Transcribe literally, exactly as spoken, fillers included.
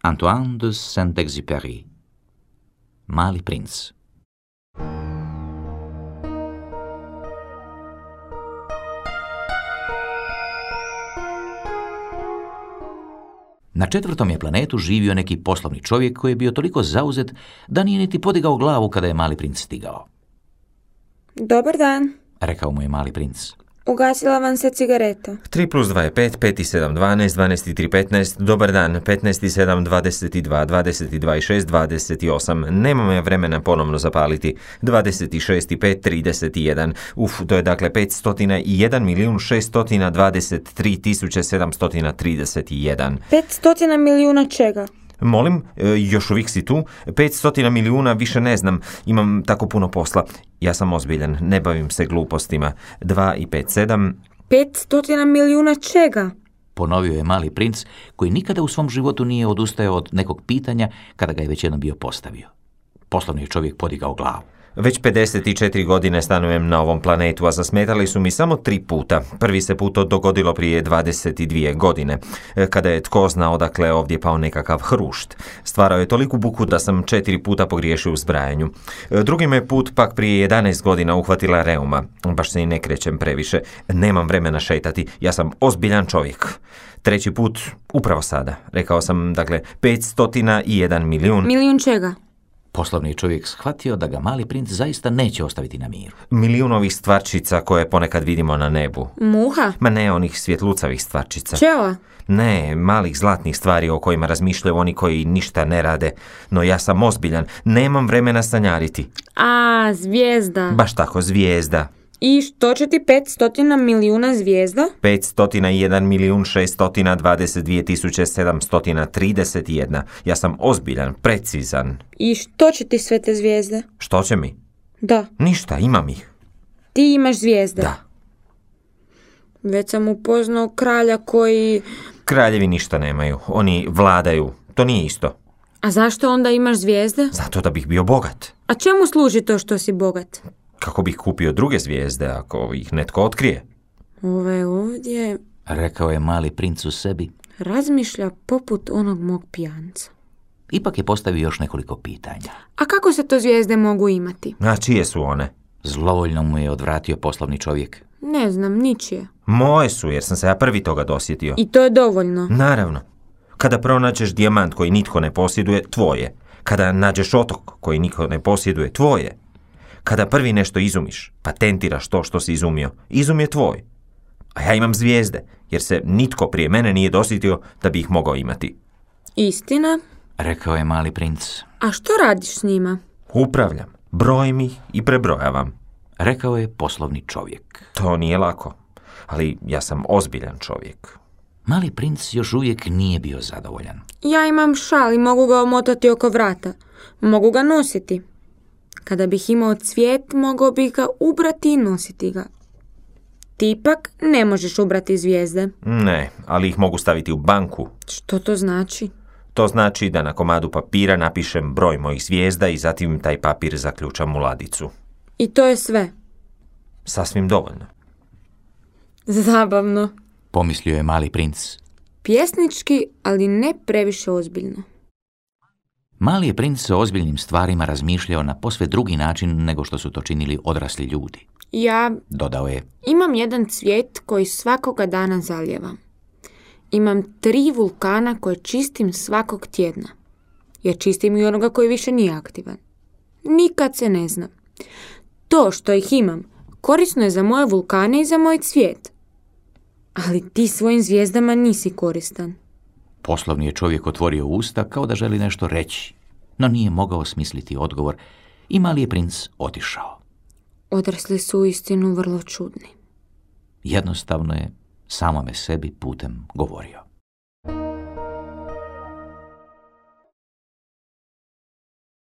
Antoine de Saint-Exupéry. Mali princ. Na četvrtom je planetu živio neki poslovni čovjek koji je bio toliko zauzet da nije niti podigao glavu kada je mali princ stigao. Dobar dan, Rekao mu je mali princ. ugasila vam se cigareta. tri plus dva je pet, pet i sedam, dvanaest, dvanaest i tri, petnaest, dobar dan, petnaest i sedam, dvadeset dva, dvadeset dva i šest, dvadeset osam, nemam ja vremena ponovno zapaliti, dvadeset šest i pet, trideset jedan, uf, to je dakle petsto jedan milijun šesto dvadeset tri tisuće sedamsto trideset jedan. petsto milijuna čega? Molim, e, još uvijek si tu? petsto milijuna, više ne znam, imam tako puno posla. Ja sam ozbiljan, ne bavim se glupostima. dva i pet, sedam... petsto milijuna čega? Ponovio je mali princ, koji nikada u svom životu nije odustajao od nekog pitanja kada ga je već jednom bio postavio. Poslovni je čovjek podigao glavu. Već pedeset četiri godine stanujem na ovom planetu, a zasmetali su mi samo tri puta. Prvi se put to dogodilo prije dvadeset dvije godine, kada je tko zna odakle ovdje pao nekakav hrušt. Stvarao je toliku buku da sam četiri puta pogriješio u zbrajanju. Drugi me put pak prije jedanaest godina uhvatila reuma. Baš se i ne krećem previše. Nemam vremena šetati, ja sam ozbiljan čovjek. Treći put, upravo sada. Rekao sam, dakle, petsto jedan milijun. Milijun čega? Poslovni je čovjek shvatio da ga mali princ zaista neće ostaviti na miru. Milijun ovih stvarčica koje ponekad vidimo na nebu. Muha? Ma ne onih svjetlucavih stvarčica. Pčela? Ne, malih zlatnih stvari o kojima razmišljaju oni koji ništa ne rade. No ja sam ozbiljan, nemam vremena sanjariti. A, zvijezda. Baš tako, zvijezda. I što će ti petsto milijuna zvijezda? petsto jedan milijun šesto dvadeset dvije tisuće sedamsto trideset jedan. Ja sam ozbiljan, precizan. I što će ti sve te zvijezde? Što će mi? Da. Ništa, imam ih. Ti imaš zvijezde? Da. Već sam upoznao kralja koji... Kraljevi ništa nemaju, oni vladaju, to nije isto. A zašto onda imaš zvijezde? Zato da bih bio bogat. A čemu služi to što si bogat? Kako bih kupio druge zvijezde ako ih netko otkrije? Ove ovdje... Rekao je mali princ u sebi. Razmišlja poput onog mog pijanca. Ipak je postavio još nekoliko pitanja. A kako se to zvijezde mogu imati? A čije su one? Zlovoljno mu je odvratio poslovni čovjek. Ne znam, ničije. Moje su, jer sam se ja prvi toga dosjetio. I to je dovoljno. Naravno. Kada pronađeš dijamant koji nitko ne posjeduje, tvoje. Kada nađeš otok koji nitko ne posjeduje, tvoje. Kada prvi nešto izumiš, patentiraš to što si izumio, izum je tvoj. A ja imam zvijezde, jer se nitko prije mene nije dosjetio da bi ih mogao imati. Istina? Rekao je mali princ. A što radiš s njima? Upravljam, brojim ih i prebrojavam. Rekao je poslovni čovjek. To nije lako, ali ja sam ozbiljan čovjek. Mali princ još uvijek nije bio zadovoljan. Ja imam šal i mogu ga omotati oko vrata. Mogu ga nositi. Kada bih imao cvijet, mogao bih ga ubrati i nositi ga. Ti ipak ne možeš ubrati zvijezde. Ne, ali ih mogu staviti u banku. Što to znači? To znači da na komadu papira napišem broj mojih zvijezda i zatim taj papir zaključam u ladicu. I to je sve? Sasvim dovoljno. Zabavno. Pomislio je mali princ. Pjesnički, ali ne previše ozbiljno. Mali je princ o ozbiljnim stvarima razmišljao na posve drugi način nego što su to činili odrasli ljudi. Ja Dodao je. imam jedan cvijet koji svakoga dana zaljevam. Imam tri vulkana koje čistim svakog tjedna. Jer čistim i onoga koji više nije aktivan. Nikad se ne zna. To što ih imam korisno je za moje vulkane i za moj cvijet. Ali ti svojim zvijezdama nisi koristan. Poslovni je čovjek otvorio usta kao da želi nešto reći, no nije mogao smisliti odgovor i mali je princ otišao. Odrasli su uistinu vrlo čudni. Jednostavno je samome sebi putem govorio.